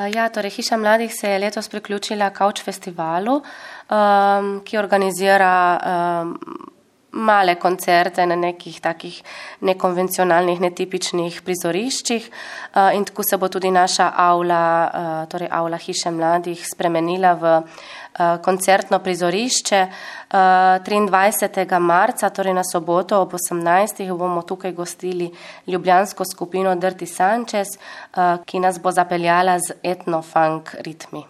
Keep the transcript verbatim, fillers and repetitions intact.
Ja, torej Hiša mladih se je letos priključila Couch festivalu, um, ki organizira um, male koncerte na nekih takih nekonvencionalnih, netipičnih prizoriščih uh, in tako se bo tudi naša avla, uh, torej avla Hiše mladih spremenila v uh, koncertno prizorišče. Uh, triindvajsetega marca, torej na soboto ob osemnajstih bomo tukaj gostili ljubljansko skupino Dirty Sanchez, uh, ki nas bo zapeljala z etno-funk ritmi.